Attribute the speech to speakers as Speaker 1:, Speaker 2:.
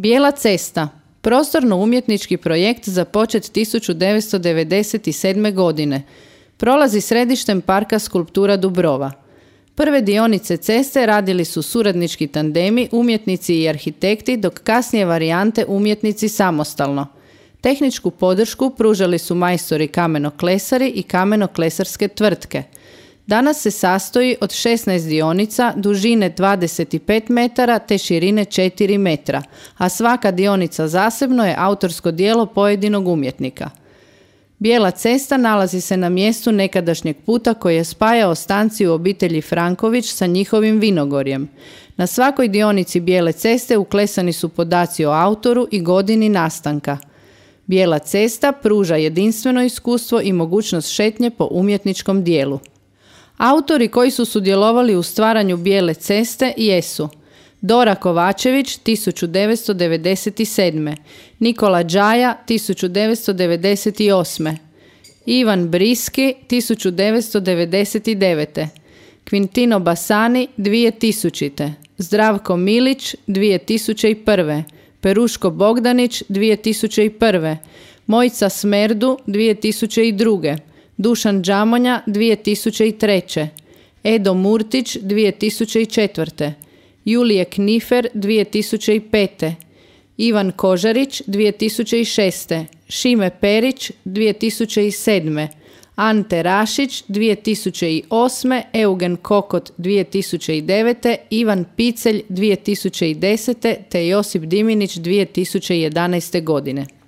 Speaker 1: Bijela cesta, prostorno-umjetnički projekt započet 1997. godine. Prolazi središtem parka Skulptura Dubrova. Prve dionice ceste radili su suradnički tandemi, umjetnici i arhitekti, dok kasnije varijante umjetnici samostalno. Tehničku podršku pružali su majstori kamenoklesari i kamenoklesarske tvrtke. Danas se sastoji od 16 dionica dužine 25 metara te širine 4 metra, a svaka dionica zasebno je autorsko djelo pojedinog umjetnika. Bijela cesta nalazi se na mjestu nekadašnjeg puta koji je spajao stanciju obitelji Franković sa njihovim vinogorjem. Na svakoj dionici Bijele ceste uklesani su podaci o autoru i godini nastanka. Bijela cesta pruža jedinstveno iskustvo i mogućnost šetnje po umjetničkom dijelu. Autori koji su sudjelovali u stvaranju Bijele ceste jesu Dora Kovačević 1997. Nikola Đaja 1998. Ivan Briski 1999. Quintino Basani 2000. Zdravko Milić 2001. Peruško Bogdanić 2001. Mojica Smerdu 2002. Dušan Đamonja 2003. Edo Murtić 2004. Julije Knifer 2005. Ivan Kožarić 2006. Šime Perić 2007. Ante Rašić 2008. Eugen Kokot 2009. Ivan Picelj 2010. te Josip Diminić 2011. godine.